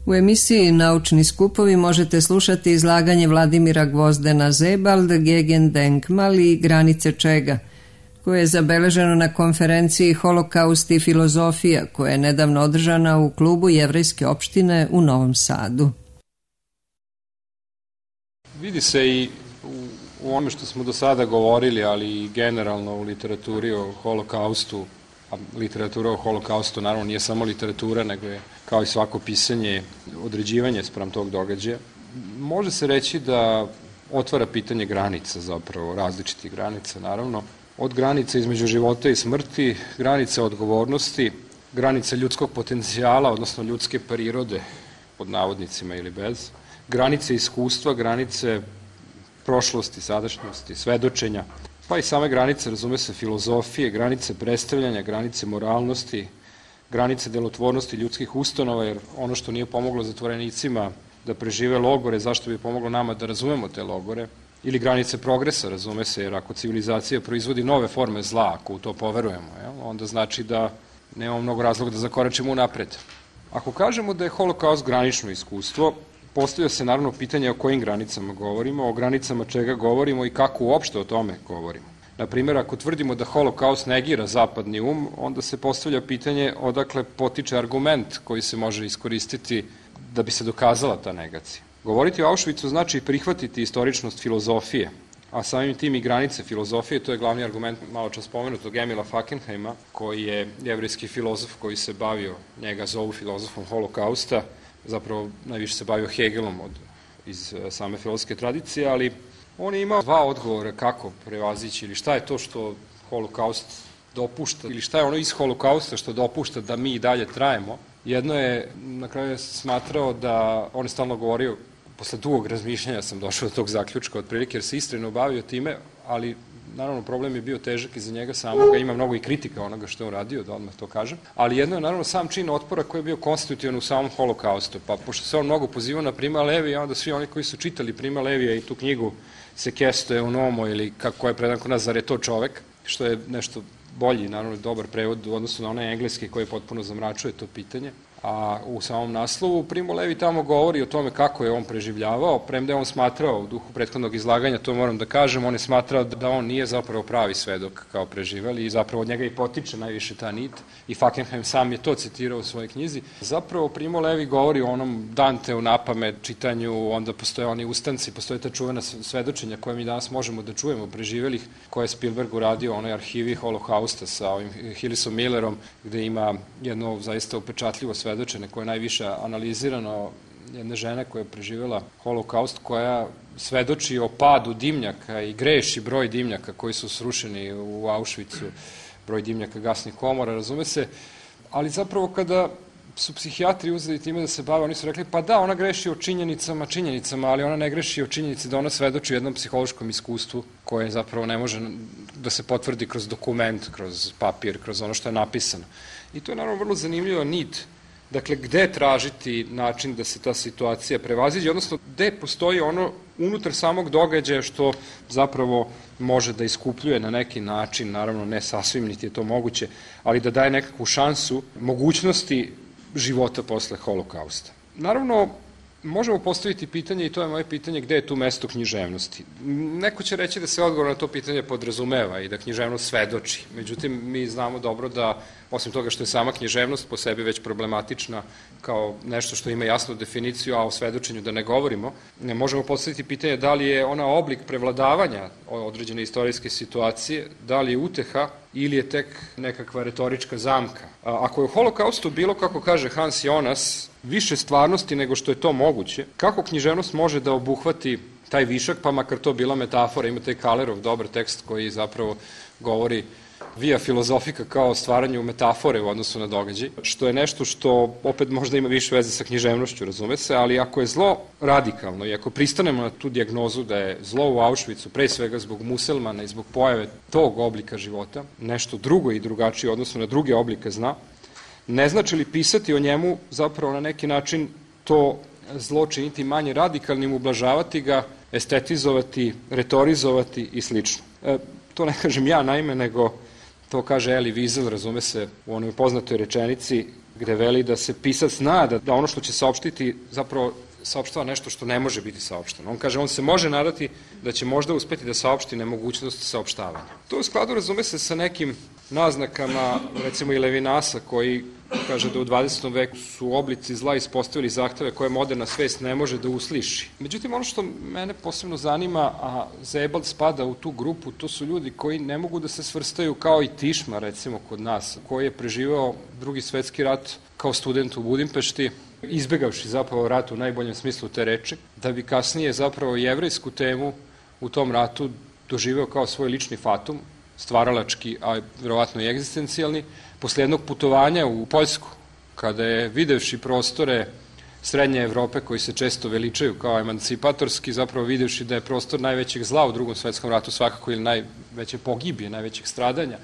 U emisiji Naučni skupovi možete slušati izlaganje Vladimira Gvozdena Zebald, Gegendenkmal i Granice čega, koje je zabeleženo na konferenciji Holokaust i filozofija, koja je nedavno održana u klubu Jevrejske opštine u Novom Sadu. Vidi se i u ono što smo do sada govorili, ali i generalno u literaturi o holokaustu, a literatura o holokaustu naravno nije samo literatura, nego je kao i svako pisanje određivanje spram tog događaja. Može se reći da otvara pitanje granica, zapravo različitih granica naravno, od granica između života i smrti, granica odgovornosti, granica ljudskog potencijala, odnosno ljudske prirode, pod navodnicima ili bez, granice iskustva, granice prošlosti, sadašnjosti, svedočenja, pa i same granice, razume se, filozofije, granice predstavljanja, granice moralnosti, granice delotvornosti ljudskih ustanova, jer ono što nije pomoglo zatvorenicima da prežive logore, zašto bi pomoglo nama da razumemo te logore, ili granice progresa, razume se, jer ako civilizacija proizvodi nove forme zla, ako u to poverujemo, onda znači da nemamo mnogo razloga da zakoračimo unapred. Ako kažemo da je holokaust granično iskustvo, postavlja se naravno pitanje o kojim granicama govorimo, o granicama čega govorimo i kako uopšte o tome govorimo. Naprimjer, ako tvrdimo da holokaust negira zapadni onda se postavlja pitanje odakle potiče argument koji se može iskoristiti da bi se dokazala ta negacija. Govoriti o Auschwitzu znači prihvatiti istoričnost filozofije, a samim tim i granice filozofije, to je glavni argument malo čas spomenutog Emila Fackenheima, koji je jevrejski filozof koji se bavio, njega zovu filozofom holokausta, zapravo najviše se bavio Hegelom iz same filozofske tradicije, ali on je imao dva odgovora kako prevazići ili šta je to što holokaust dopušta ili šta je ono iz holokausta što dopušta da mi i dalje trajemo. Jedno je, na kraju je smatrao da, on je stalno govorio, posle dugog razmišljanja sam došao do tog zaključka otprilike, jer se iskreno bavio time, ali naravno problem je bio težak i za njega samoga, ima mnogo i kritika onoga što je on radio, da odmah to kažem, ali jedno je naravno sam čin otpora koji je bio konstitutivan u samom holokaustu, pa pošto se on mnogo pozivao na Prima Levija, onda svi oni koji su čitali Prima Levija i tu knjigu Sekesto Eunomo ili kako je predan kod nas, zar je to čovek, što je nešto bolji, naravno dobar prevod u odnosu na onaj engleski koji potpuno zamračuje to pitanje. A u samom naslovu Primo Levi tamo govori o tome kako je on preživljavao, premda je on smatrao u duhu prethodnog izlaganja, to moram da kažem, on je smatrao da on nije zapravo pravi svedok kao preživeli i zapravo od njega i potiče najviše ta nit i Fackenheim sam je to citirao u svojoj knjizi. Zapravo Primo Levi govori o onom Danteu napamet čitanju, onda postoje oni ustanci, postoje ta čuvena svedočenja koje mi danas možemo da čujemo preživelih, koje je Spielberg uradio u onoj arhivi holokausta sa ovim Hillisom Millerom, gde ima jedno zaista upečatljivo svedočenje koje je najviše analizirano jedne žene koja je preživjela holokaust, koja svedoči o padu dimnjaka i greši broj dimnjaka koji su srušeni u Auschwitzu, broj dimnjaka gasnih komora, razume se, ali zapravo kada su psihijatri uzeli time da se bave, oni su rekli, pa da, ona greši o činjenicama, ali ona ne greši o činjenici da ona svedoči o jednom psihološkom iskustvu koje zapravo ne može da se potvrdi kroz dokument, kroz papir, kroz ono što je napisano. I to je naravno vrlo zanimljiva nit. Dakle, gde tražiti način da se ta situacija prevaziđe, odnosno gde postoji ono unutar samog događaja što zapravo može da iskupljuje na neki način, naravno ne sasvim, niti je to moguće, ali da daje nekakvu šansu mogućnosti života posle holokausta. Naravno, možemo postaviti pitanje, i to je moje pitanje, gde je tu mesto književnosti. Neko će reći da se odgovor na to pitanje podrazumeva i da književnost svedoči. Međutim, mi znamo dobro da, osim toga što je sama književnost po sebi već problematična kao nešto što ima jasnu definiciju, a o svedočenju da ne govorimo, ne možemo postaviti pitanje da li je ona oblik prevladavanja određene istorijske situacije, da li je uteha ili je tek nekakva retorička zamka. Ako je u holokaustu bilo, kako kaže Hans Jonas, više stvarnosti nego što je to moguće, kako književnost može da obuhvati taj višak, pa makar to bila metafora, ima taj Kalerov dobar tekst koji zapravo govori via filozofika kao stvaranju metafore u odnosu na događaj, što je nešto što opet možda ima više veze sa književnošću, razume se, ali ako je zlo radikalno i ako pristanemo na tu dijagnozu da je zlo u Auschwitzu pre svega zbog muselmana i zbog pojave tog oblika života, nešto drugo i drugačije u odnosu na druge oblike zla, ne znači li pisati o njemu zapravo na neki način to zlo činiti manje radikalnim, ublažavati ga, estetizovati, retorizovati i slično. To ne kažem ja naime, nego to kaže Elie Wiesel, razume se, u onoj poznatoj rečenici gde veli da se pisac zna da ono što će saopštiti zapravo saopštava nešto što ne može biti saopšteno. On kaže, on se može nadati da će možda uspeti da saopšti nemogućnost saopštavanja. To u skladu razume se sa nekim naznakama, recimo i Levinasa, koji kaže da u 20. veku su oblici zla ispostavili zahteve koje moderna svest ne može da usliši. Međutim, ono što mene posebno zanima, a Sebald spada u tu grupu, to su ljudi koji ne mogu da se svrstaju kao i Tišma, recimo kod nas, koji je preživao Drugi svetski rat kao student u Budimpešti, izbegavši zapravo rat u najboljem smislu te reči, da bi kasnije zapravo jevrejsku temu u tom ratu doživeo kao svoj lični fatum, stvaralački, a verovatno i egzistencijalni, posle jednog putovanja u Poljsku, kada je videvši prostore Srednje Evrope koji se često veličaju kao emancipatorski, zapravo videvši da je prostor najvećeg zla u Drugom svetskom ratu svakako ili najveće pogibije, najvećeg stradanja,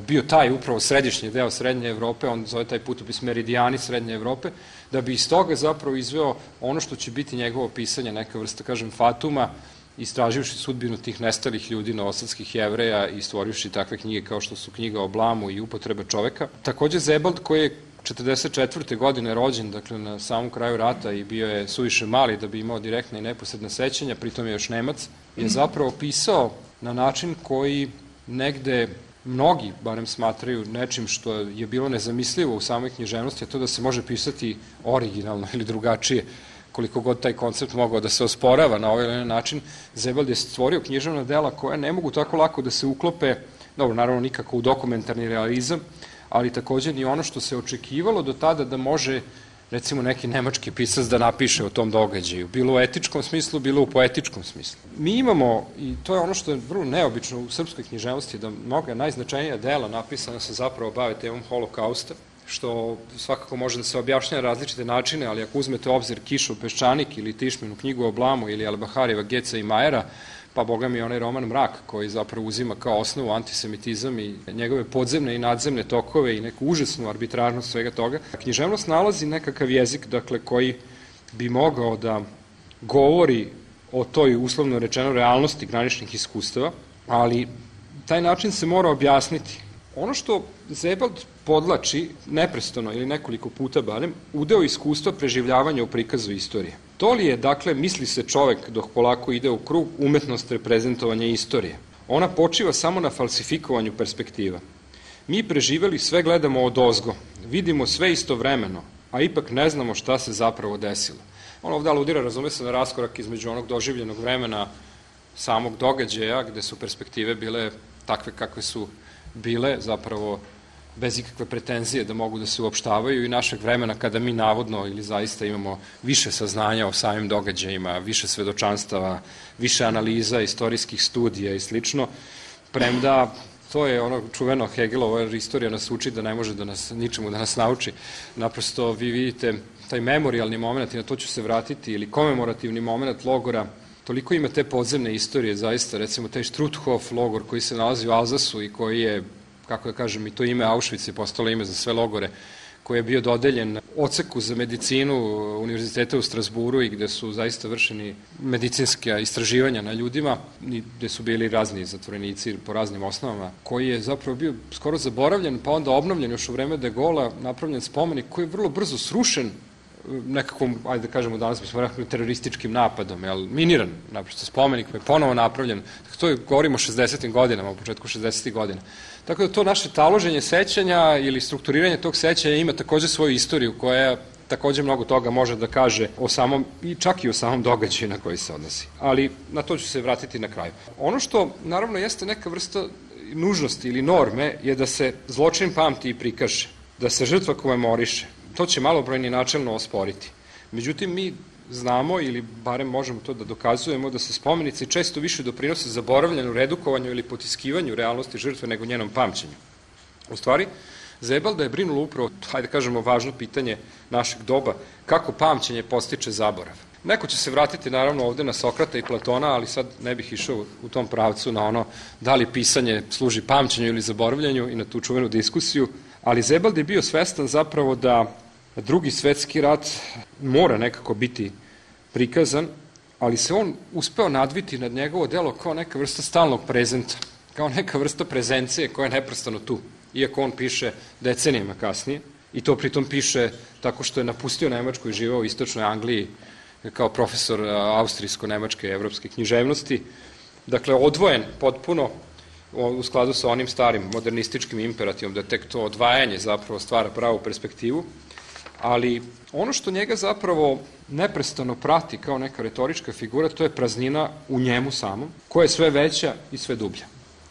bio taj upravo središnji deo Srednje Evrope, on zove taj putopis Meridijani Srednje Evrope, da bi iz toga zapravo izveo ono što će biti njegovo pisanje, neka vrsta, kažem, fatuma, istraživši sudbinu tih nestalih ljudi, novosadskih Jevreja i stvorivši takve knjige kao što su knjiga o blamu i upotrebe čoveka. Takođe Sebald, koji je 44. godine rođen, dakle na samom kraju rata i bio je suviše mali da bi imao direktne i neposredne sećanja, pritom je još Nemac, je zapravo pisao na način koji negde mnogi, barem smatraju nečim što je bilo nezamislivo u samoj književnosti, a to da se može pisati originalno ili drugačije, koliko god taj koncept mogao da se osporava na ovaj ili onaj način. Sebald je stvorio književna dela koja ne mogu tako lako da se uklope, dobro, naravno nikako u dokumentarni realizam, ali takođe ni ono što se očekivalo do tada da može, recimo, neki nemački pisac da napiše o tom događaju, bilo u etičkom smislu, bilo u poetičkom smislu. Mi imamo, i to je ono što je vrlo neobično u srpskoj književnosti, da mnoga najznačajnija dela napisana se zapravo bave temom holokausta, što svakako može da se objašnja na različite načine, ali ako uzmete u obzir Kišov peščanik ili Tišminu knjigu o blamu ili Albaharijeva Geca i Majera, pa boga mi onaj roman Mrak koji zapravo uzima kao osnovu antisemitizam i njegove podzemne i nadzemne tokove i neku užasnu arbitrarnost svega toga. Književnost nalazi nekakav jezik, dakle, koji bi mogao da govori o toj uslovno rečeno realnosti graničnih iskustava, ali taj način se mora objasniti. Ono što Sebald podlači neprestano ili nekoliko puta barem, udeo iskustva preživljavanja u prikazu istorije. To li je, dakle, misli se čovek dok polako ide u krug, umetnost reprezentovanja istorije. Ona počiva samo na falsifikovanju perspektiva. Mi preživeli sve gledamo odozgo, vidimo sve istovremeno, a ipak ne znamo šta se zapravo desilo. On ovde aludira, razume se, na raskorak između onog doživljenog vremena samog događaja, gde su perspektive bile takve kakve su bile, zapravo bez ikakve pretenzije da mogu da se uopštavaju, i našeg vremena kada mi navodno ili zaista imamo više saznanja o samim događajima, više svedočanstava, više analiza, istorijskih studija i slično, premda to je ono čuveno Hegelova istorija nas uči da ne može da nas ničemu da nas nauči. Naprosto vi vidite taj memorialni moment, i na to ću se vratiti, ili komemorativni moment logora, toliko ima te podzemne istorije, zaista, recimo taj Struthof logor koji se nalazi u Alzasu i koji je, kako da kažem, i to ime Auschwitz je postalo ime za sve logore, koji je bio dodeljen odseku za medicinu Univerziteta u Strasburu i gde su zaista vršeni medicinske istraživanja na ljudima, gde su bili razni zatvorenici po raznim osnovama, koji je zapravo bio skoro zaboravljen, pa onda obnovljen još u vreme de Gaulea, napravljen spomenik koji je vrlo brzo srušen nekakvom, ajde da kažemo danas bismo rekli, terorističkim napadom, miniran, naprosto spomenik je ponovo napravljen. To je, govorimo o 60. godinama, u početku 60. godina. Tako da to naše taloženje sećanja ili strukturiranje tog sećanja ima takođe svoju istoriju koja takođe mnogo toga može da kaže o samom, i čak i o samom događaju na koji se odnosi. Ali na to ću se vratiti na kraju. Ono što naravno jeste neka vrsta nužnosti ili norme je da se zločin pamti i prikaže, da se žrtva komemoriše. To će malobrojni načelno osporiti. Međutim, mi znamo, ili barem možemo to da dokazujemo, da se spomenici često više doprinose zaboravljanju, redukovanju ili potiskivanju realnosti žrtve nego njenom pamćenju. U stvari, Sebalda je brinulo upravo, hajde kažemo, važno pitanje našeg doba, kako pamćenje postiče zaborav. Neko će se vratiti naravno ovde na Sokrata i Platona, ali sad ne bih išao u tom pravcu na ono da li pisanje služi pamćenju ili zaboravljanju i na tu čuvenu diskusiju, ali Sebald je bio svestan zapravo da Drugi svetski rat mora nekako biti prikazan, ali se on uspeo nadviti nad njegovo delo kao neka vrsta stalnog prezenta, kao neka vrsta prezencije koja je neprestano tu, iako on piše decenijama kasnije. I to pritom piše tako što je napustio Nemačku i živeo u istočnoj Angliji kao profesor austrijsko-nemačke evropske književnosti. Dakle, odvojen potpuno u skladu sa onim starim modernističkim imperativom, da tek to odvajanje zapravo stvara pravu perspektivu, ali ono što njega zapravo neprestano prati kao neka retorička figura, to je praznina u njemu samom, koja je sve veća i sve dublja.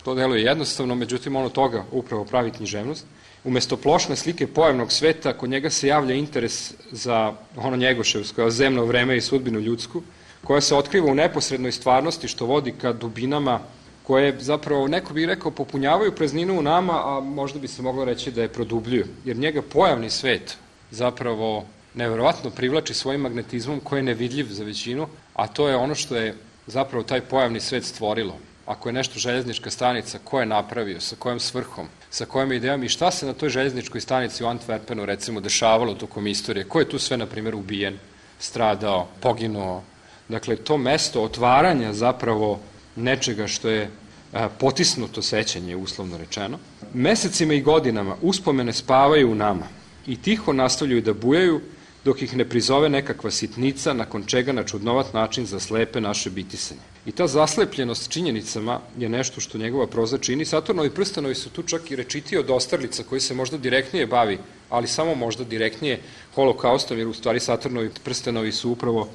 To deluje jednostavno, međutim ono toga upravo pravi književnost. Umesto plošne slike pojavnog sveta, kod njega se javlja interes za ono njegoševsko, zemno vreme i sudbinu ljudsku, koja se otkriva u neposrednoj stvarnosti, što vodi ka dubinama koje zapravo, neko bi rekao, popunjavaju prazninu u nama, a možda bi se moglo reći da je produbljuju. Jer njega pojavni svet zapravo neverovatno privlači svojim magnetizmom koji je nevidljiv za većinu, a to je ono što je zapravo taj pojavni svet stvorilo. Ako je nešto željeznička stanica, ko je napravio, sa kojom svrhom, sa kojom idejom i šta se na toj željezničkoj stanici u Antwerpenu recimo dešavalo tokom istorije, ko je tu sve, na primjer, ubijen, stradao, poginuo. Dakle, to mesto otvaranja zapravo nečega što je potisnuto sećanje, uslovno rečeno. Mesecima i godinama uspomene spavaju u nama i tiho nastavljaju da bujaju dok ih ne prizove nekakva sitnica, nakon čega na čudnovat način zaslepe naše bitisanje. I ta zaslepljenost činjenicama je nešto što njegova proza čini. Saturnovi prstenovi su tu čak i rečitiji od Osterlica, koji se možda direktnije bavi, ali samo možda direktnije holokaustom, jer u stvari Saturnovi prstenovi su upravo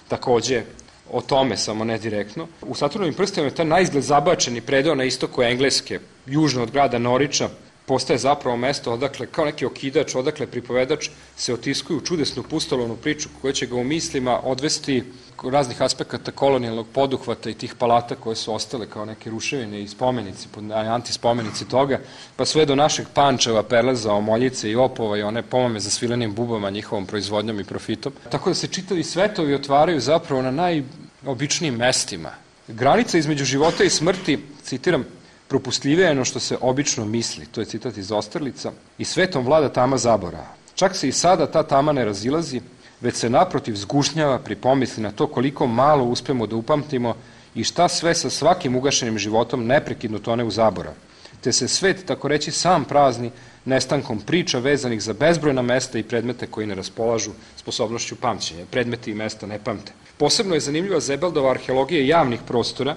takođe o tome, samo ne direktno. U Saturnovim prstenovima je taj naizgled zabačeni predeo na istoku Engleske, južno od grada Noriča, postaje zapravo mesto odakle, kao neki okidač, odakle pripovedač se otiskuju čudesnu pustolovnu priču koja će ga u mislima odvesti raznih aspekata kolonijalnog poduhvata i tih palata koje su ostale kao neke ruševine i spomenici, antispomenici toga, pa sve do našeg Pančeva, Perleza, Omoljice i Opova i one pomame za svilenim bubama, njihovom proizvodnjom i profitom. Tako da se čitavi svetovi otvaraju zapravo na najobičnijim mestima. Granica između života i smrti, citiram, propustljivije je ono što se obično misli, to je citat iz Osterlica, i svetom vlada tama zaborava. Čak se i sada ta tama ne razilazi, već se naprotiv zgušnjava pri pomisli na to koliko malo uspemo da upamtimo i šta sve sa svakim ugašenim životom neprekidno tone u zaborav. Te se svet, tako reći, sam prazni nestankom priča vezanih za bezbrojna mesta i predmete koji ne raspolažu sposobnošću pamćenja. Predmeti i mesta ne pamte. Posebno je zanimljiva Zebeldova arheologija javnih prostora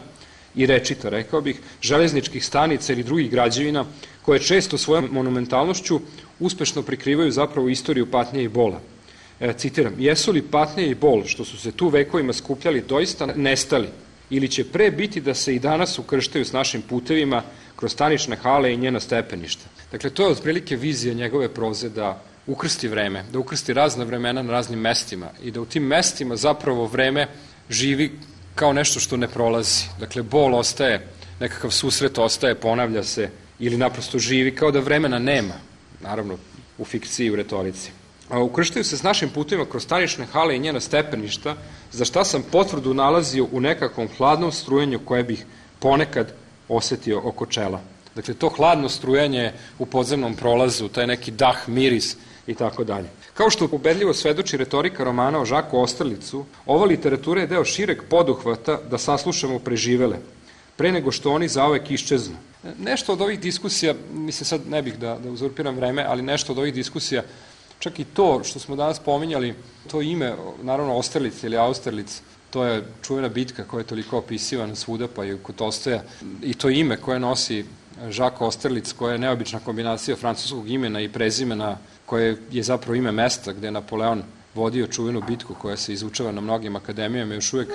i rečita, rekao bih, železničkih stanica ili drugih građevina, koje često svojom monumentalnošću uspešno prikrivaju zapravo istoriju patnje i bola. Citiram, jesu li patnje i bol što su se tu vekovima skupljali doista nestali ili će pre biti da se i danas ukrštaju s našim putevima kroz stanične hale i njena stepeništa. Dakle, to je otprilike vizija njegove proze da ukrsti vreme, da ukrsti razna vremena na raznim mestima i da u tim mestima zapravo vreme živi kao nešto što ne prolazi. Dakle, bol ostaje, nekakav susret ostaje, ponavlja se ili naprosto živi kao da vremena nema, naravno u fikciji i u retorici. A ukrštaju se s našim putovima kroz stanične hale i njena stepeništa, za šta sam potvrdu nalazio u nekakvom hladnom strujenju koje bih ponekad osetio oko čela. Dakle, to hladno strujanje u podzemnom prolazu, taj neki dah, miris i tako dalje. Kao što ubedljivo svedoči retorika romana o Žaku Osterlicu, ova literatura je deo šireg poduhvata da saslušamo preživele, pre nego što oni zaovek iščeznu. Nešto od ovih diskusija, mislim sad ne bih da uzurpiram vreme, ali nešto od ovih diskusija, čak i to što smo danas pominjali, to ime, naravno Osterlic ili Austerlic, to je čuvena bitka koja je toliko opisivana svuda, pa i kod Tolstoja, i to ime koje nosi Jacques Austerlitz, koja je neobična kombinacija francuskog imena i prezimena, koje je zapravo ime mesta gde je Napoleon vodio čuvenu bitku koja se izučava na mnogim akademijama, još uvek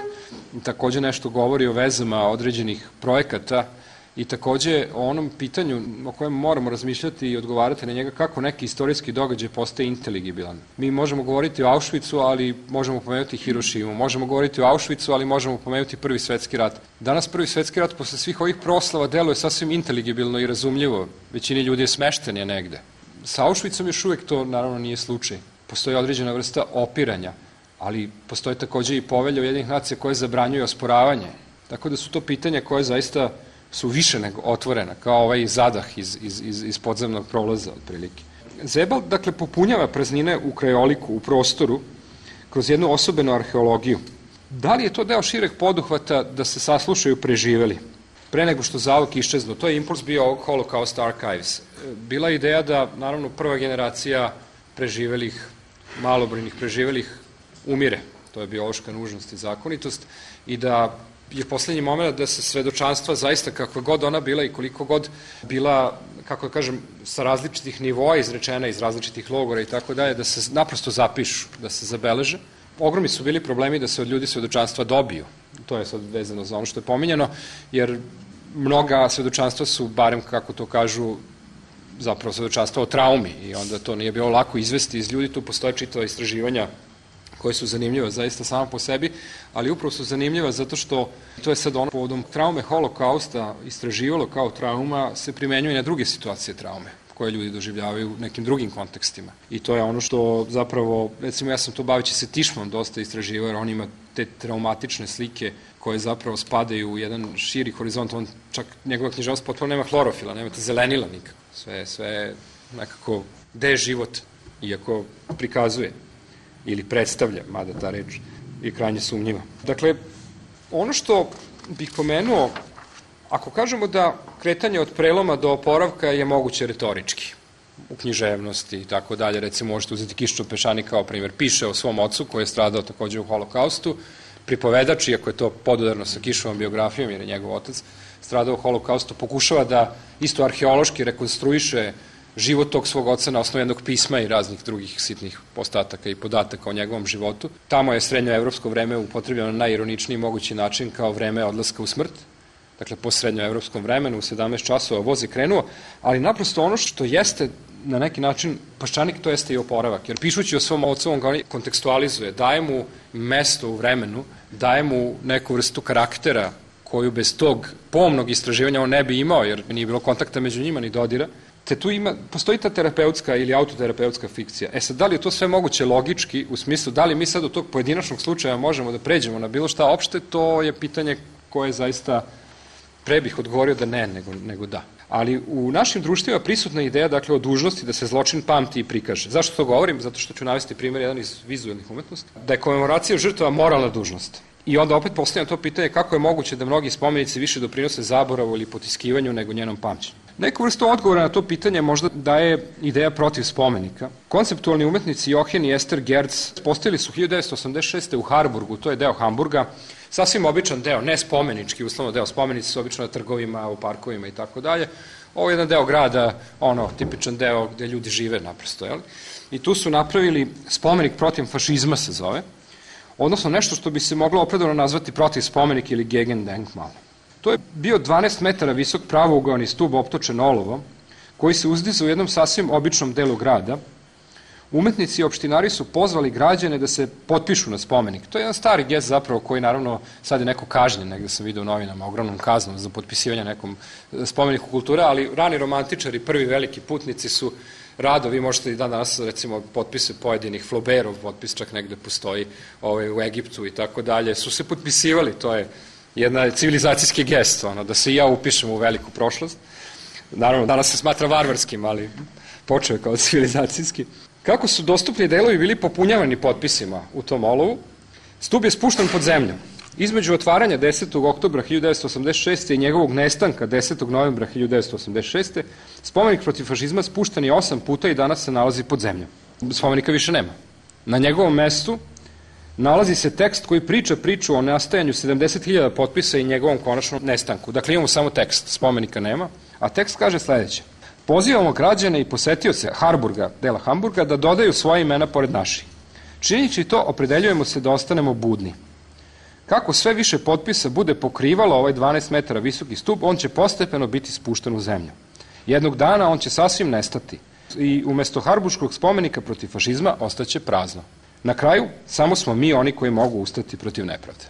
takođe nešto govori o vezama određenih projekata i takođe o onom pitanju o kojem moramo razmišljati i odgovarati na njega, kako neki istorijski događaj postaje inteligibilan. Mi možemo govoriti o Auschwitzu, ali možemo pomenuti Hirošimu, možemo govoriti o Auschwitzu, ali možemo pomenuti Prvi svetski rat. Danas Prvi svetski rat posle svih ovih proslava deluje sasvim inteligibilno i razumljivo. Većini ljudi je smešten je negde. Sa Auschwitzom još uvek to naravno nije slučaj. Postoji određena vrsta opiranja, ali postoje takođe i povelja Ujedinjenih nacija koje zabranjuju osporavanje. Tako da su to pitanja koje zaista su više nego otvorena, kao ovaj zadah iz podzemnog prolaza, otprilike. Zebald, dakle, popunjava praznine u krajoliku, u prostoru, kroz jednu osobenu arheologiju. Da li je to deo šireg poduhvata da se saslušaju preživeli, pre nego što zauvek iščeznu? To je impuls bio ovog Holocaust Archives. Bila je ideja da, naravno, prva generacija preživelih, malobrojnih preživelih umire. To je biološka nužnost i zakonitost i da je poslednji moment da se svedočanstva zaista kakva god ona bila i koliko god bila, kako da kažem, sa različitih nivoa izrečena iz različitih logora i tako dalje, da se naprosto zapišu, da se zabeleže. Ogromni su bili problemi da se od ljudi svedočanstva dobiju. To je sad vezano za ono što je pominjeno, jer mnoga svedočanstva su, barem kako to kažu, zapravo svedočanstva o traumi i onda to nije bilo lako izvesti iz ljudi. Tu postoje čitava istraživanja koje su zanimljiva zaista sama po sebi, ali upravo su zanimljiva zato što to je sad ono povodom traume holokausta istraživalo kao trauma se primenjuje na druge situacije traume koje ljudi doživljavaju u nekim drugim kontekstima. I to je ono što zapravo, recimo ja sam to baveći se Tišmom dosta istraživao, jer on ima te traumatične slike koje zapravo spadaju u jedan širi horizont, on čak njegova književnost potpuno nema hlorofila, nemate zelenila nikako, sve nekako gde je život, iako prikazuje ili predstavlja, mada ta reč je krajnje sumnjiva. Dakle, ono što bih pomenuo, ako kažemo da kretanje od preloma do oporavka je moguće retorički, u književnosti i tako dalje, recimo možete uzeti Kiščov Pešani kao primjer, piše o svom ocu koji je stradao takođe u holokaustu, pripovedač, iako je to podudarno sa Kišovom biografijom, jer je njegov otac stradao u holokaustu, pokušava da isto arheološki rekonstruiše život tog svog oca na osnovu jednog pisma i raznih drugih sitnih ostataka i podataka o njegovom životu. Tamo je srednjoevropsko vreme upotrebljeno na najironičniji mogući način kao vreme odlaska u smrt. Dakle, po srednjoevropskom vremenu u 17 časova voz je krenuo, ali naprosto ono što jeste na neki način Paščanik, to jeste i oporavak. Jer pišući o svom ocu, on ga kontekstualizuje, daje mu mesto u vremenu, daje mu neku vrstu karaktera koju bez tog pomnog istraživanja on ne bi imao, jer nije bilo kontakta među njima ni dodira. Te tu postoji ta terapeutska ili autoterapeutska fikcija. Sad, da li je to sve moguće logički, u smislu, da li mi sad od tog pojedinačnog slučaja možemo da pređemo na bilo šta opšte, to je pitanje koje zaista pre bih odgovorio da ne, nego da. Ali u našim društvima prisutna ideja, dakle, o dužnosti da se zločin pamti i prikaže. Zašto to govorim? Zato što ću navesti primjer jedan iz vizualnih umetnosti. Da je komemoracija žrtava moralna dužnost. I onda opet postavljam to pitanje kako je moguće da mnogi spomenici više doprinose zaboravu ili potiskivanju nego njenom pamćenju. Neku vrstu odgovora na to pitanje možda daje ideja protiv spomenika. Konceptualni umetnici Jochen i Ester Gerz postavili su 1986. u Harburgu, to je deo Hamburga, sasvim običan deo, ne spomenički, uslovno deo, spomenici su obično na trgovima, u parkovima i tako dalje. Ovo je jedan deo grada, tipičan deo gde ljudi žive naprosto, jel? I tu su napravili spomenik protiv fašizma se zove, odnosno nešto što bi se moglo opravdano nazvati protiv spomenik ili Gegendenkmal. To je bio 12 metara visok pravougaoni stub optočen olovom, koji se uzdizao u jednom sasvim običnom delu grada. Umetnici i opštinari su pozvali građane da se potpišu na spomenik. To je jedan stari gest zapravo koji naravno sad je neko kažnjen, negde sam vidio u novinama, ogromnom kaznom za potpisivanje nekom spomeniku kulture, ali rani romantičari, prvi veliki putnici su rado, vi možete i danas recimo potpise pojedinih, Flaubertov potpis čak negde postoji u Egiptu i tako dalje, su se potpisivali, to je jedna civilizacijski gest, da se i ja upišem u veliku prošlost. Naravno, danas se smatra varvarskim, ali počeo je kao civilizacijski. Kako su dostupni delovi bili popunjavani potpisima u tom olovu, stub je spušten pod zemlju. Između otvaranja 10. oktobra 1986. i njegovog nestanka 10. novembra 1986. spomenik protiv fašizma spušten je 8 puta i danas se nalazi pod zemljom. Spomenika više nema. Na njegovom mestu nalazi se tekst koji priča priču o nastajanju 70.000 potpisa i njegovom konačnom nestanku. Dakle, imamo samo tekst, spomenika nema, a tekst kaže sledeće. Pozivamo građane i posetioce Harburga, dela Hamburga, da dodaju svoje imena pored naših. Činjeći to, opredeljujemo se da ostanemo budni. Kako sve više potpisa bude pokrivalo ovaj 12 metara visoki stup, on će postepeno biti spušten u zemlju. Jednog dana on će sasvim nestati i umesto harburškog spomenika protiv fašizma ostaće prazno. Na kraju, samo smo mi oni koji mogu ustati protiv nepravde.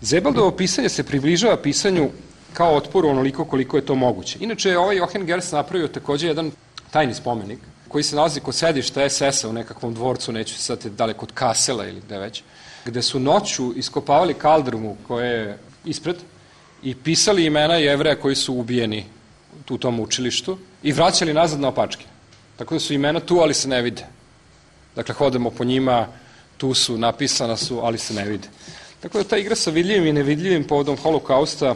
Zebaldovo pisanje se približava pisanju kao otporu onoliko koliko je to moguće. Inače je ovaj Jochen Gerz napravio takođe jedan tajni spomenik koji se nalazi kod sedišta SS-a u nekakvom dvorcu, neću se sad da li kod Kasela ili gde već, gde su noću iskopavali kaldrmu koja je ispred i pisali imena Jevreja koji su ubijeni u tom učilištu i vraćali nazad na opačke. Tako da su imena tu, ali se ne vide. Dakle, hodamo po njima, tu su, napisana su, ali se ne vide. Tako da ta igra sa vidljivim i nevidljivim povodom holokausta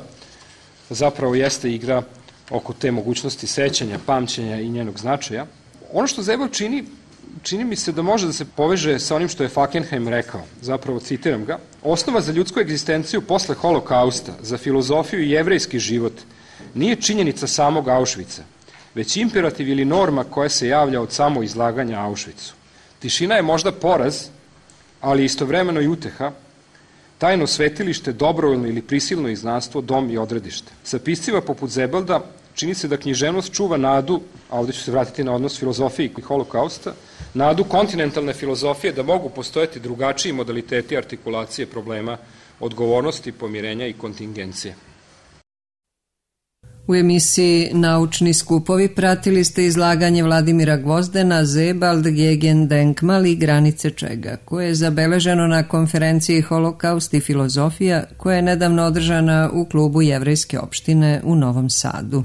zapravo jeste igra oko te mogućnosti sećanja, pamćenja i njenog značaja. Ono što Zebel čini čini mi se da može da se poveže sa onim što je Fackenheim rekao, zapravo citiram ga: osnova za ljudsku egzistenciju posle holokausta, za filozofiju i jevrejski život, nije činjenica samog Auschwitza, već imperativ ili norma koja se javlja od samo izlaganja Auschwitzu. Tišina je možda poraz, ali istovremeno i uteha, tajno svetilište, dobrovoljno ili prisilno izgnanstvo, dom i odredište. Sa piscima poput Zebalda čini se da književnost čuva nadu, a ovdje ću se vratiti na odnos filozofije i holokausta, nadu kontinentalne filozofije da mogu postojati drugačiji modaliteti artikulacije problema odgovornosti, pomirenja i kontingencije. U emisiji Naučni skupovi pratili ste izlaganje Vladimira Gvozdena Sebald, Gegendenkmal i granice čega, koje je zabeleženo na konferenciji Holokaust i filozofija koja je nedavno održana u klubu Jevrejske opštine u Novom Sadu.